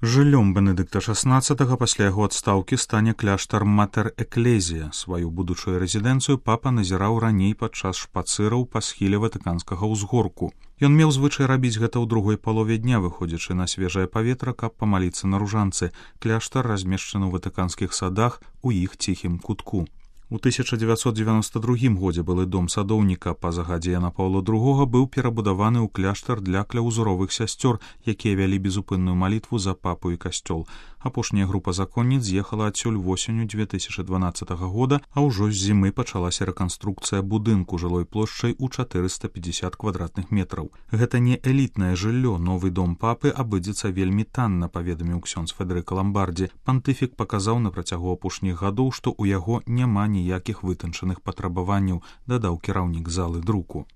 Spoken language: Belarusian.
Жыллём Бенедыкта XVI пасля яго адстаўкі стане кляштар Матэр Эклезія. Сваю будучую рэзідэнцыю папа назіраў раней падчас шпацыраў па схіле ватыканскага ўзгорку. Ён меў звычай рабіць гэта ў другой палове дня, выходзячы на свежае паветра, каб памаліцца на ружанцы. Кляштар размешчаны ў ватыканскіх садах у іх ціхім кутку. У 1992 годзе былы дом садоўніка па загадзе Яна Паўла II быў перабудаваны ў кляштар для кляўзуровых сясцёр, якія вялі безупынную малітву за папу і касцёл. Апошняя група законніц з'ехала адсюль восенню 2012 года, а ўжо з зімы пачалася рэканструкцыя будынку жылой плошчай у 450 квадратных метраў. Гэта не элітнае жыллё, новы дом папы абыдзецца вельмі танна, паведаміў ксёндз Федэрыка Ламбардзі. Пантыфік паказаў на працягу апошніх гадоў, што ў яго няма ніякіх вытанчаных патрабаванняў, дадаў кіраўнік залы друку.